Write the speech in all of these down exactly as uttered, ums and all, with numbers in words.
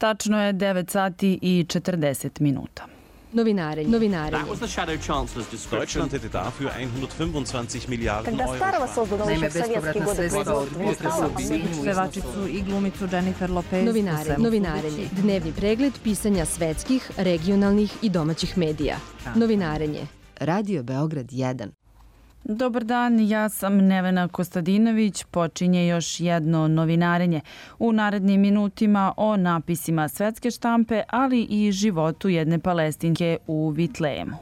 Tačno je devet sati i četrdeset minuta. Novinarenje. Novinarenje. Deutschland hätte dafür hundertfünfundzwanzig Miliarden Euro. Naime, bespovratna sredstva od potresa u Sinju. Pevačicu i glumicu Jennifer Lopez. Novinarenje. Novinarenje. Dnevni pregled pisanja svetskih, regionalnih i domaćih medija. Novinarenje. Radio Beograd jedan. Dobar dan, ja sam Nevena Kostadinović. Počinje još jedno novinarenje. U narednim minutima o napisima svetske štampe, ali i životu jedne Palestinke u Vitlejemu.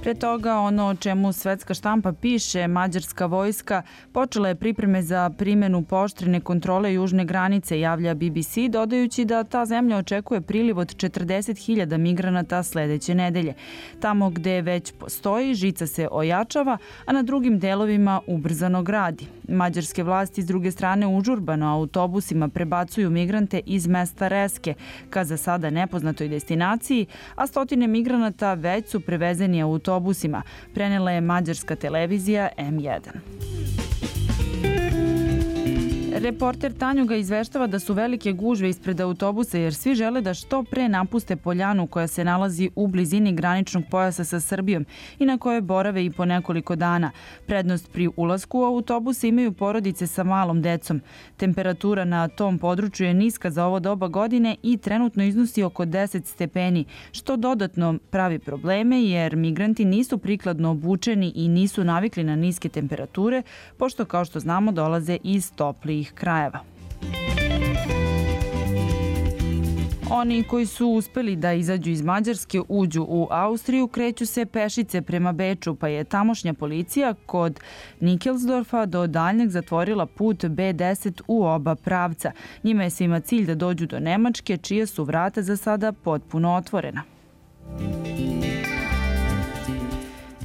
Pre toga, ono o čemu svetska štampa piše, mađarska vojska počela je pripreme za primjenu pooštrene kontrole južne granice, javlja B B C, dodajući da ta zemlja očekuje priliv od četrdeset hiljada migranata sledeće nedelje. Tamo gde već postoji, žica se ojačava, a na drugim delovima ubrzano gradi. Mađarske vlasti s druge strane užurbano autobusima prebacuju migrante iz mesta Reske ka za sada nepoznatoj destinaciji, a stotine migranata već su prevezeni autobusima, prenela je mađarska televizija M jedan. Reporter Tanjuga izveštava da su velike gužve ispred autobusa jer svi žele da što pre napuste poljanu koja se nalazi u blizini graničnog pojasa sa Srbijom i na kojoj borave i po nekoliko dana. Prednost pri ulasku u autobuse imaju porodice sa malom decom. Temperatura na tom području je niska za ovo doba godine i trenutno iznosi oko deset stepeni, što dodatno pravi probleme jer migranti nisu prikladno obučeni i nisu navikli na niske temperature, pošto kao što znamo dolaze iz toplijih krajeva. Oni koji su uspeli da izađu iz Mađarske, uđu u Austriju, kreću se pešice prema Beču, pa je tamošnja policija kod Nikelsdorfa do daljnjeg zatvorila put B deset u oba pravca. Njima je svima cilj da dođu do Nemačke, čija su vrata za sada potpuno otvorena.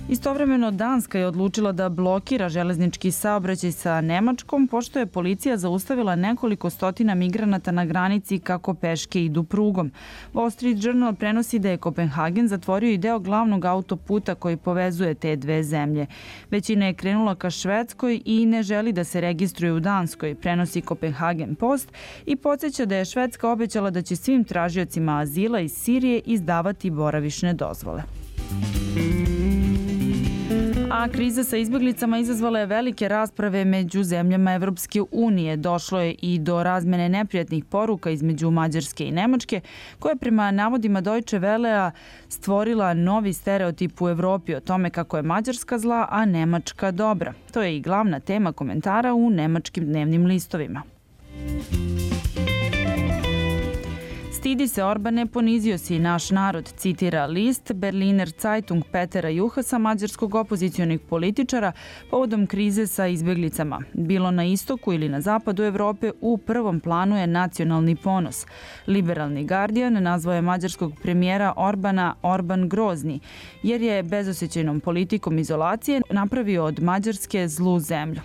Istovremeno, Danska je odlučila da blokira železnički saobraćaj sa Nemačkom, pošto je policija zaustavila nekoliko stotina migranata na granici kako peške idu prugom. Wall Street Journal prenosi da je Kopenhagen zatvorio i deo glavnog autoputa koji povezuje te dve zemlje. Većina je krenula ka Švedskoj i ne želi da se registruje u Danskoj, prenosi Kopenhagen Post i podsjeća da je Švedska obećala da će svim tražiocima azila iz Sirije izdavati boravišne dozvole. A kriza sa izbjeglicama izazvala je velike rasprave među zemljama Evropske unije. Došlo je i do razmene neprijatnih poruka između Mađarske i Nemačke, koja je prema navodima Deutsche Wellea stvorila novi stereotip u Evropi o tome kako je Mađarska zla, a Nemačka dobra. To je i glavna tema komentara u nemačkim dnevnim listovima. Stidi se Orbane, ponizio si naš narod, citira list Berliner Zeitung Petera Juhasa, mađarskog opozicionih političara, povodom krize sa izbjeglicama. Bilo na istoku ili na zapadu Evrope, u prvom planu je nacionalni ponos. Liberalni Guardian nazvao je mađarskog premijera Orbana Orban grozni, jer je bezosjećajnom politikom izolacije napravio od Mađarske zlu zemlju.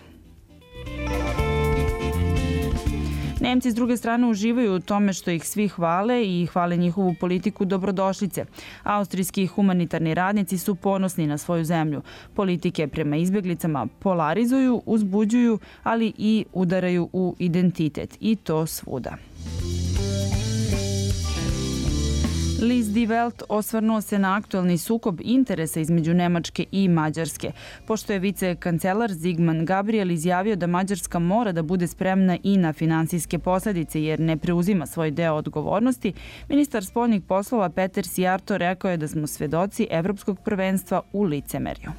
Nemci s druge strane uživaju u tome što ih svi hvale i hvale njihovu politiku dobrodošlice. Austrijski humanitarni radnici su ponosni na svoju zemlju. Politike prema izbjeglicama polarizuju, uzbuđuju, ali i udaraju u identitet. I to svuda. List Die Welt osvrnuo se na aktualni sukob interesa između Nemačke i Mađarske. Pošto je vicekancelar Sigmar Gabriel izjavio da Mađarska mora da bude spremna i na finansijske posljedice jer ne preuzima svoj deo odgovornosti, ministar spoljnih poslova Peter Szijjártó rekao je da smo svedoci evropskog prvenstva u licemerju.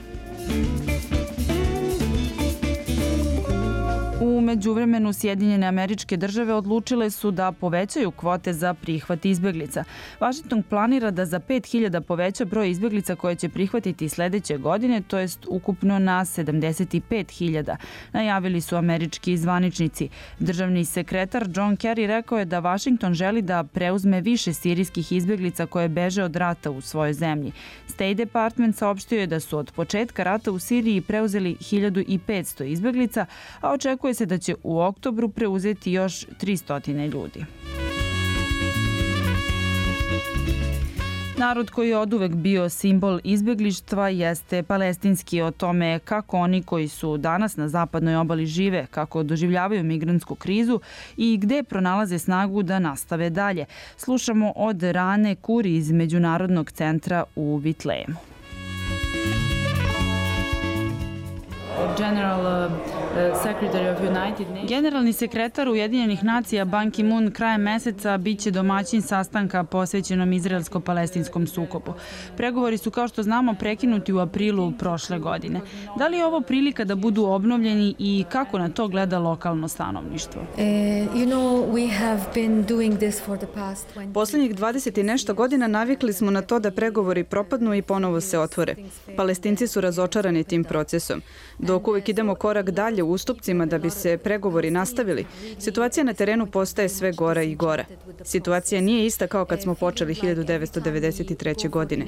U međuvremenu Sjedinjene Američke Države odlučile su da povećaju kvote za prihvat izbjeglica. Washington planira da za pet hiljada poveća broj izbjeglica koje će prihvatiti sledeće godine, to jest ukupno na sedamdeset pet hiljada, najavili su američki zvaničnici. Državni sekretar John Kerry rekao je da Washington želi da preuzme više sirijskih izbjeglica koje beže od rata u svojoj zemlji. State Department saopštio je da su od početka rata u Siriji preuzeli hiljadu petsto izbjeglica, a očekuje se da će u oktobru preuzeti još tristo ljudi. Narod koji je oduvek bio simbol izbeglištva jeste palestinski. O tome kako oni koji su danas na zapadnoj obali žive, kako doživljavaju migrantsku krizu i gde pronalaze snagu da nastave dalje. Slušamo od Rane Kuri iz Međunarodnog centra u Vitlejemu. Generalni sekretar Ujedinjenih nacija Ban Ki-moon krajem meseca biće domaćin sastanka posvećenom izraelsko-palestinskom sukobu. Pregovori su, kao što znamo, prekinuti u aprilu prošle godine. Da li je ovo prilika da budu obnovljeni i kako na to gleda lokalno stanovništvo? Poslednjih dvadeset i nešto godina navikli smo na to da pregovori propadnu i ponovo se otvore. Palestinci su razočarani tim procesom. Dok uvek idemo korak dalje u ustupcima da bi se pregovori nastavili, situacija na terenu postaje sve gora i gora. Situacija nije ista kao kad smo počeli hiljadu devetsto devedeset treće. godine.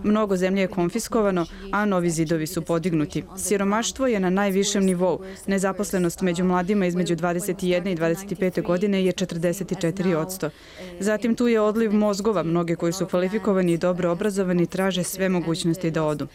Mnogo zemlje je konfiskovano, a novi zidovi su podignuti. Siromaštvo je na najvišem nivou. Nezaposlenost među mladima između dvadeset jedne i dvadeset pete. godine je četrdeset četiri posto. Zatim tu je odliv mozgova. Mnogi koji su kvalifikovani i dobro obrazovani traže sve mogućnosti da odu.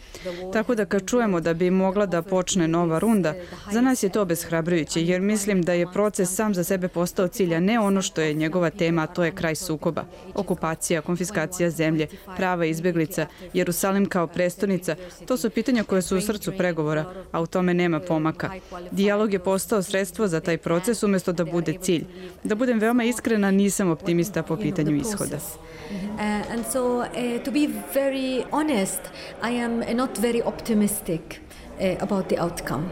Tako da kad čujemo da bi mogla da počne nova runda, za nas je to obeshrabrujuće, jer mislim da je proces sam za sebe postao cilj, a ne ono što je njegova tema, a to je kraj sukoba. Okupacija, konfiskacija zemlje, prava izbeglica, Jerusalim kao prestonica, to su pitanja koje su u srcu pregovora, a u tome nema pomaka. Dijalog je postao sredstvo za taj proces umjesto da bude cilj. Da budem veoma iskrena, nisam optimista po pitanju ishoda. Uh, and so, uh, to be very honest, I am not very optimistic uh, about the outcome.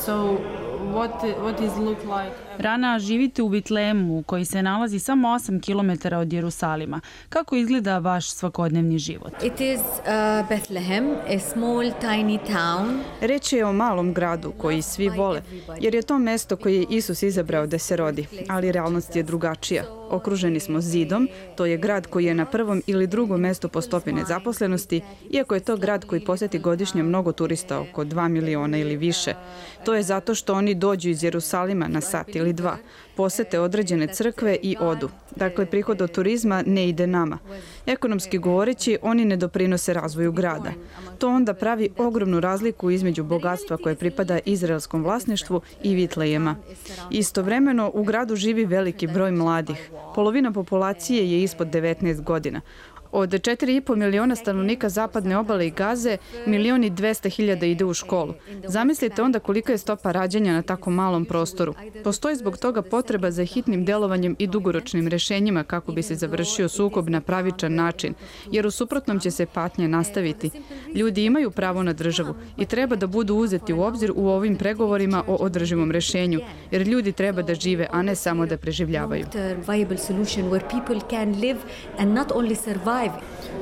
So, what, what is look like? Rana, živite u Vitlejemu, koji se nalazi samo osam kilometara od Jerusalima. Kako izgleda vaš svakodnevni život? It is uh, Bethlehem, a small tiny town. Reč je o malom gradu koji svi vole, jer je to mesto koje je Isus izabrao da se rodi, ali realnost je drugačija. Okruženi smo zidom, to je grad koji je na prvom ili drugom mestu po stopi nezaposlenosti, iako je to grad koji poseti godišnje mnogo turista, oko dva miliona ili više. To je zato što oni dođu iz Jerusalima na sat ili dva, posete određene crkve i odu. Dakle, prihod od turizma ne ide nama. Ekonomski govoreći, oni ne doprinose razvoju grada. To onda pravi ogromnu razliku između bogatstva koje pripada izraelskom vlasništvu i Vitlejema. Istovremeno, u gradu živi veliki broj mladih. Polovina populacije je ispod devetnaest godina. Od četiri i po miliona stanovnika zapadne obale i Gaze, milion i dvesta hiljada ide u školu. Zamislite onda kolika je stopa rađanja na tako malom prostoru. Postoji zbog toga potreba za hitnim delovanjem i dugoročnim rešenjima kako bi se završio sukob na pravičan način, jer u suprotnom će se patnje nastaviti. Ljudi imaju pravo na državu i treba da budu uzeti u obzir u ovim pregovorima o održivom rešenju, jer ljudi treba da žive, a ne samo da preživljavaju.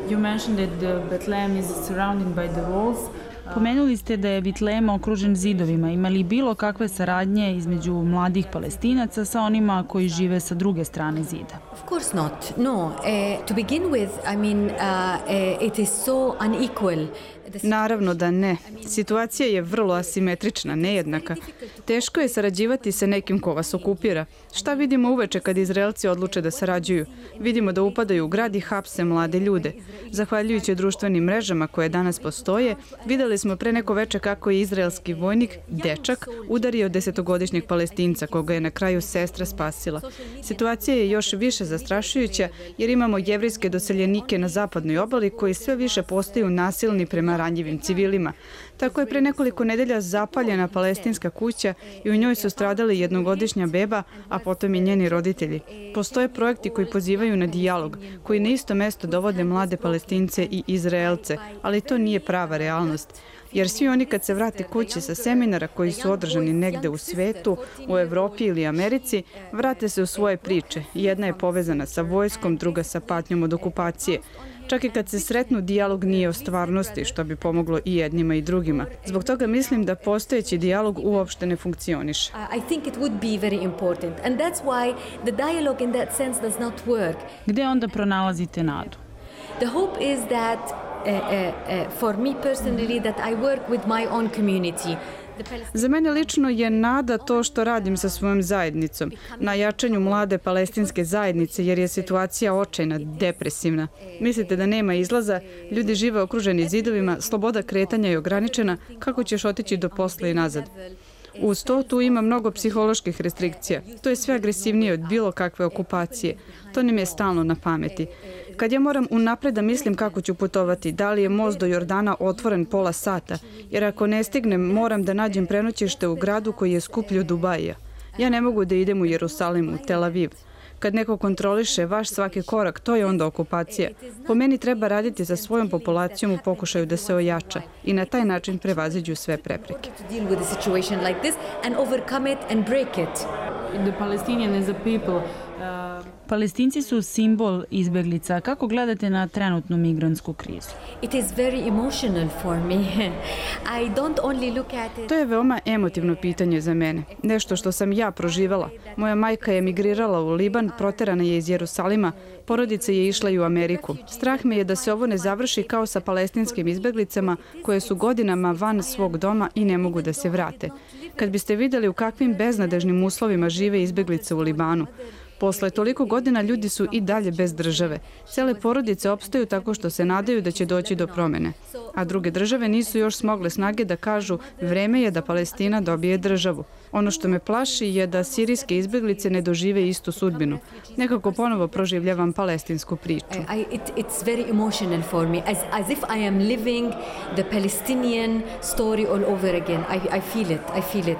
You mentioned that the Bethlehem is surrounded by the walls. Pomenuli ste da je Vitlejem okružen zidovima. Ima li bilo kakve saradnje između mladih Palestinaca sa onima koji žive sa druge strane zida? Of course not. No. Uh, to begin with, I mean, uh, uh, it is so unequal. Naravno da ne. Situacija je vrlo asimetrična, nejednaka. Teško je sarađivati sa nekim ko vas okupira. Šta vidimo uveče kad Izraelci odluče da sarađuju? Vidimo da upadaju u grad i hapse mlade ljude. Zahvaljujući društvenim mrežama koje danas postoje, videli smo pre neko veče kako je izraelski vojnik, dečak, udario desetogodišnjeg Palestinca, koga je na kraju sestra spasila. Situacija je još više zastrašujuća jer imamo jevrijske doseljenike na zapadnoj obali koji sve više postaju nasilni prema ranjivim civilima. Tako je pre nekoliko nedelja zapaljena palestinska kuća i u njoj su stradali jednogodišnja beba, a potom i njeni roditelji. Postoje projekti koji pozivaju na dijalog, koji na isto mesto dovode mlade Palestince i Izraelce, ali to nije prava realnost. Jer svi oni kad se vrate kući sa seminara koji su održani negde u svetu, u Evropi ili Americi, vrate se u svoje priče. Jedna je povezana sa vojskom, druga sa patnjom od okupacije. Čak i kad se sretnu, dijalog nije o stvarnosti, što bi pomoglo i jednima i drugima. Zbog toga mislim da postojeći dijalog uopšte ne funkcioniše. I think it would be very important and that's why the dialogue in that sense does not work. Gde onda pronalazite nadu? The hope is that uh, uh, uh, for me personally that I work with my own community. Za mene lično je nada to što radim sa svojom zajednicom, na jačanju mlade palestinske zajednice, jer je situacija očajna, depresivna. Mislite da nema izlaza, ljudi žive okruženi zidovima, sloboda kretanja je ograničena, kako ćeš otići do posla i nazad? Uz to tu ima mnogo psiholoških restrikcija. To je sve agresivnije od bilo kakve okupacije. To nam je stalno na pameti. Kad ja moram unapred da mislim kako ću putovati, da li je most do Jordana otvoren pola sata, jer ako ne stignem, moram da nađem prenoćište u gradu koji je skuplji od Dubaija. Ja ne mogu da idem u Jerusalim, u Tel Aviv. Kad neko kontroliše vaš svaki korak, to je onda okupacija. Po meni treba raditi sa svojom populacijom u pokušaju da se ojača i na taj način prevaziđu sve prepreke. Palestinci su simbol izbeglica. Kako gledate na trenutnu migrantsku krizu? To je veoma emotivno pitanje za mene. Nešto što sam ja proživela. Moja majka je emigrirala u Liban, proterana je iz Jerusalima, porodica je išla i u Ameriku. Strah me je da se ovo ne završi kao sa palestinskim izbeglicama koje su godinama van svog doma i ne mogu da se vrate. Kad biste vidjeli u kakvim beznadežnim uslovima žive izbeglice u Libanu, posle toliko godina ljudi su i dalje bez države. Cele porodice opstaju tako što se nadaju da će doći do promene. A druge države nisu još smogle snage da kažu vreme je da Palestina dobije državu. Ono što me plaši je da sirijske izbeglice ne dožive istu sudbinu. Nekako ponovo proživljavam palestinsku priču. It's very emotional for me, as, as if I am living the Palestinian story all over again. I, I feel it, I feel it.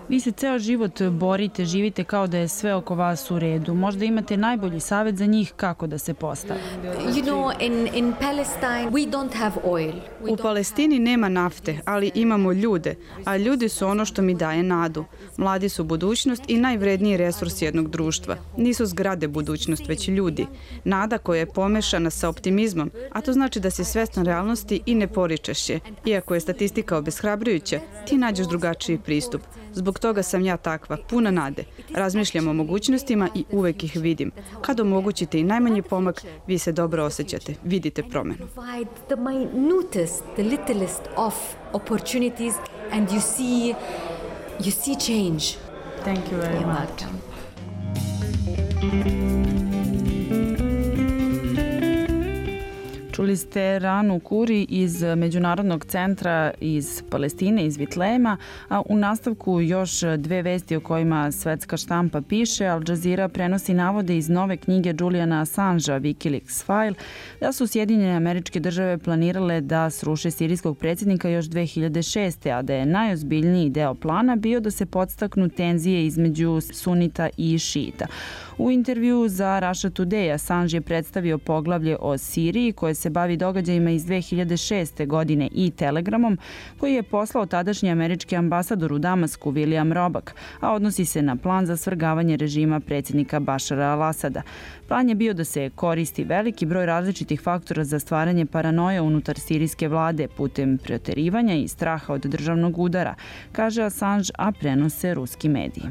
Vi se ceo život borite, živite kao da je sve oko vas u redu. Možda imate najbolji savjet za njih kako da se postave. You know, in, in Palestine we don't have oil. U Palestini nema nafte, ali imamo ljude, a ljudi su ono što mi daje nadu. Mladi su budućnost i najvredniji resurs jednog društva. Nisu zgrade budućnost, već ljudi. Nada koja je pomešana sa optimizmom, a to znači da si svestan realnosti i ne poričeš je. Iako je statistika obeshrabrujuća, ti nađeš drugačiji pristup. Zbog toga sam ja takva, puna nade. Razmišljam o mogućnostima i uvek ih vidim. Kad omogućite i najmanji pomak, vi se dobro osjećate, vidite promenu. The minutest, the littlest of opportunities and you see you see change. Thank you very much. Čuli ste Ranu Kuri iz Međunarodnog centra iz Palestine, iz Vitlejma, a u nastavku još dve vesti o kojima svetska štampa piše. Al Jazeera prenosi navode iz nove knjige Juliana Assangea, Wikileaks File, da su Sjedinjene Američke Države planirale da sruše sirijskog predsjednika još dve hiljade šeste. a da je najozbiljniji deo plana bio da se podstaknu tenzije između sunita i šiita. U intervju za Russia Today Assange je predstavio poglavlje o Siriji koje se bavi događajima iz dve hiljade šeste. godine i telegramom koji je poslao tadašnji američki ambasador u Damasku William Robak, a odnosi se na plan za svrgavanje režima predsjednika Bašara al-Asada. Plan je bio da se koristi veliki broj različitih faktora za stvaranje paranoje unutar sirijske vlade putem preterivanja i straha od državnog udara, kaže Assange, a prenose ruski mediji.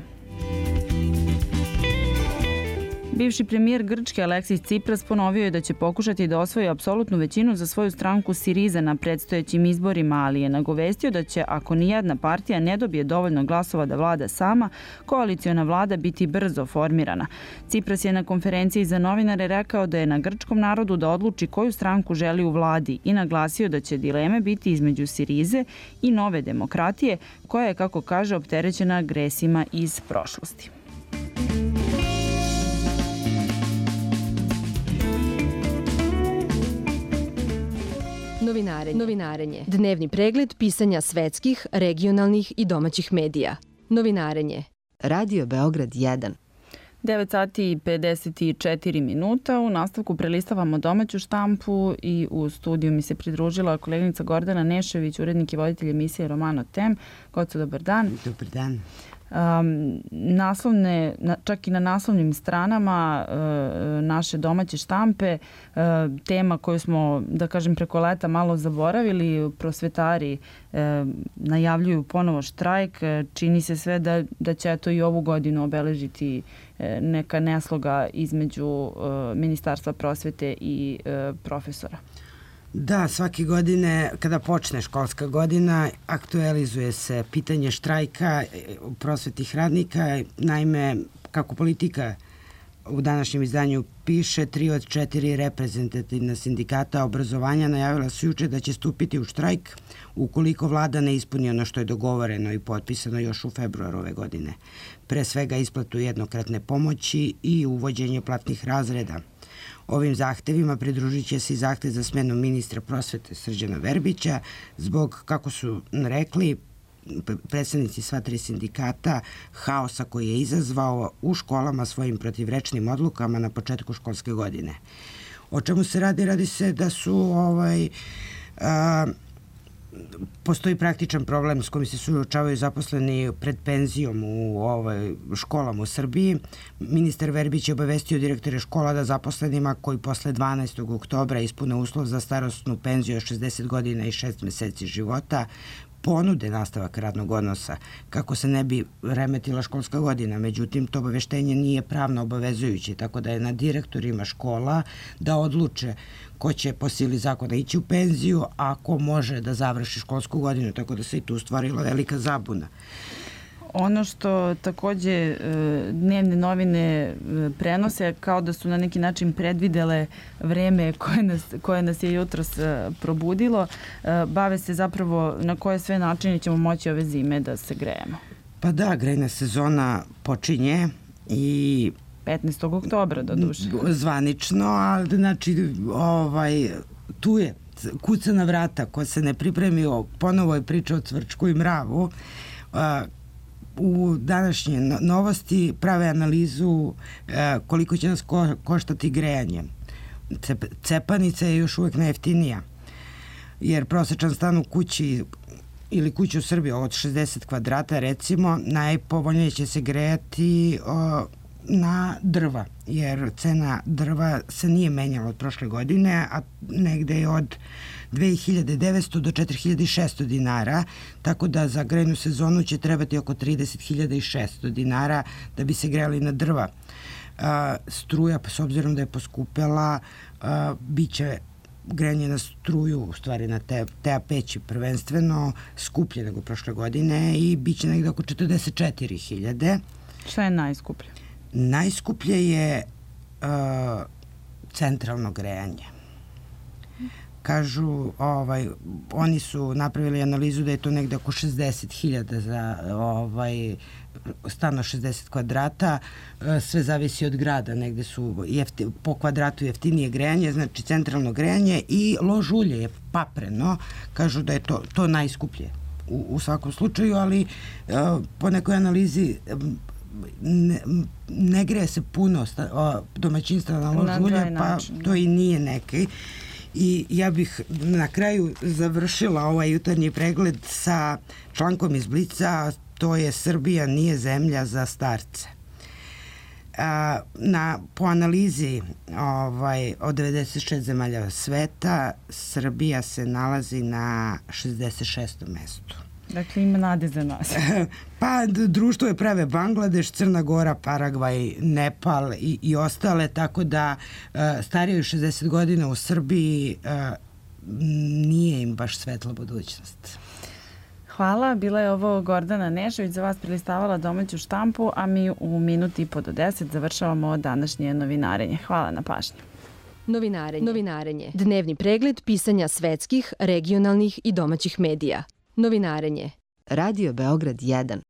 Bivši premijer Grčke Aleksis Tsipras ponovio je da će pokušati da osvoji apsolutnu većinu za svoju stranku Siriza na predstojećim izborima, ali je nagovestio da će, ako nijedna partija ne dobije dovoljno glasova da vlada sama, koaliciona vlada biti brzo formirana. Tsipras je na konferenciji za novinare rekao da je na grčkom narodu da odluči koju stranku želi u vladi i naglasio da će dileme biti između Sirize i Nove demokratije, koja je, kako kaže, opterećena agresijama iz prošlosti. Novinarenje. Novinarenje. Dnevni pregled pisanja svetskih, regionalnih i domaćih medija. Novinarenje. Radio Beograd jedan. devet sati i pedeset četiri minuta. U nastavku prelistavamo domaću štampu i u studiju mi se pridružila koleginica Gordana Nešević, urednik i voditelj emisije Romano Tem. Goco, dobar dan. Dobar dan. Um, naslovne, čak i na naslovnim stranama uh, naše domaće štampe, uh, tema koju smo, da kažem, preko leta malo zaboravili, prosvetari uh, najavljuju ponovo štrajk. Čini se sve da, da će to i ovu godinu obeležiti uh, neka nesloga između uh, Ministarstva prosvete i uh, profesora. Da, svake godine kada počne školska godina aktualizuje se pitanje štrajka prosvetnih radnika. Naime, kako Politika u današnjem izdanju piše, tri od četiri reprezentativna sindikata obrazovanja najavila su juče da će stupiti u štrajk ukoliko vlada ne ispuni ono što je dogovoreno i potpisano još u februaru ove godine. Pre svega isplatu jednokratne pomoći i uvođenje platnih razreda. Ovim zahtevima pridružit će se i zahtev za smenu ministra prosvete Srđana Verbića zbog, kako su rekli predstavnici sva tri sindikata, haosa koji je izazvao u školama svojim protivrečnim odlukama na početku školske godine. O čemu se radi? Radi se da su ovaj, a, postoji praktičan problem s kojim se suočavaju zaposleni pred penzijom u ovaj, školama u Srbiji. Ministar Verbić je obavestio direktore škola da zaposlenima koji posle dvanaestog oktobra ispune uslov za starosnu penziju od šezdeset godina i šest meseci života ponude nastavak radnog odnosa kako se ne bi remetila školska godina. Međutim, to obaveštenje nije pravno obavezujuće, tako da je na direktorima škola da odluče ko će po sili zakona ići u penziju, a ko može da završi školsku godinu, tako da se i tu stvorila velika zabuna. Ono što takođe dnevne novine prenose kao da su na neki način predvidele vreme koje nas, koje nas je jutros probudilo, bave se zapravo na koje sve načine ćemo moći ove zime da se grejemo. Pa da, grejna sezona počinje i petnaestog oktobra do duše. Zvanično, a znači ovaj, tu je kuca na vrata ko se ne pripremio, ponovo je priča o cvrčku i mravu. U današnje novosti prave analizu koliko će nas ko, koštati grejanje. Cep, cepanica je još uvek najjeftinija, jer prosečan stan u kući ili kuću u Srbiji od šezdeset kvadrata recimo, najpovoljnije će se grejati o, na drva, jer cena drva se nije menjala od prošle godine, a negde je od dve hiljade devetsto do četiri hiljade šesto dinara, tako da za grejnu sezonu će trebati oko trideset hiljada šesto dinara da bi se grejali na drva. A, struja, s obzirom da je poskupela, a, bit će grejanje na struju, u stvari na te, te peći prvenstveno, skuplje nego prošle godine i bit će negde oko četrdeset četiri hiljade. Šta je najskuplje? Najskuplje je uh, centralno grejanje. Kažu, ovaj, oni su napravili analizu da je to negde oko šezdeset hiljada za ovaj, stano šezdeset kvadrata. Sve zavisi od grada, negde su jefti, po kvadratu jeftinije grejanje, znači centralno grejanje i lož ulje je papreno. Kažu da je to, to najskuplje u, u svakom slučaju, ali uh, po nekoj analizi Ne, ne greje se puno sta, o, domaćinstva na lož ulje, pa to i nije neki. I ja bih na kraju završila ovaj jutarnji pregled sa člankom iz Blica, to je Srbija nije zemlja za starce. A, na, po analizi ovaj, od devedeset šest zemalja sveta, Srbija se nalazi na šezdeset šestom mestu. Dakle, ima nade za nas. Pa, društvo je prave Bangladeš, Crna Gora, Paragvaj, Nepal i, i ostale, tako da uh, starije od šezdeset godina u Srbiji uh, nije im baš svetla budućnost. Hvala, bila je ovo Gordana Nešović, za vas prelistavala domaću štampu, a mi u minuti i po do deset završavamo današnje novinarenje. Hvala na pažnju. Novinarenje. Novinarenje. Dnevni pregled pisanja svetskih, regionalnih i domaćih medija. Novinarenje. Radio Beograd jedan.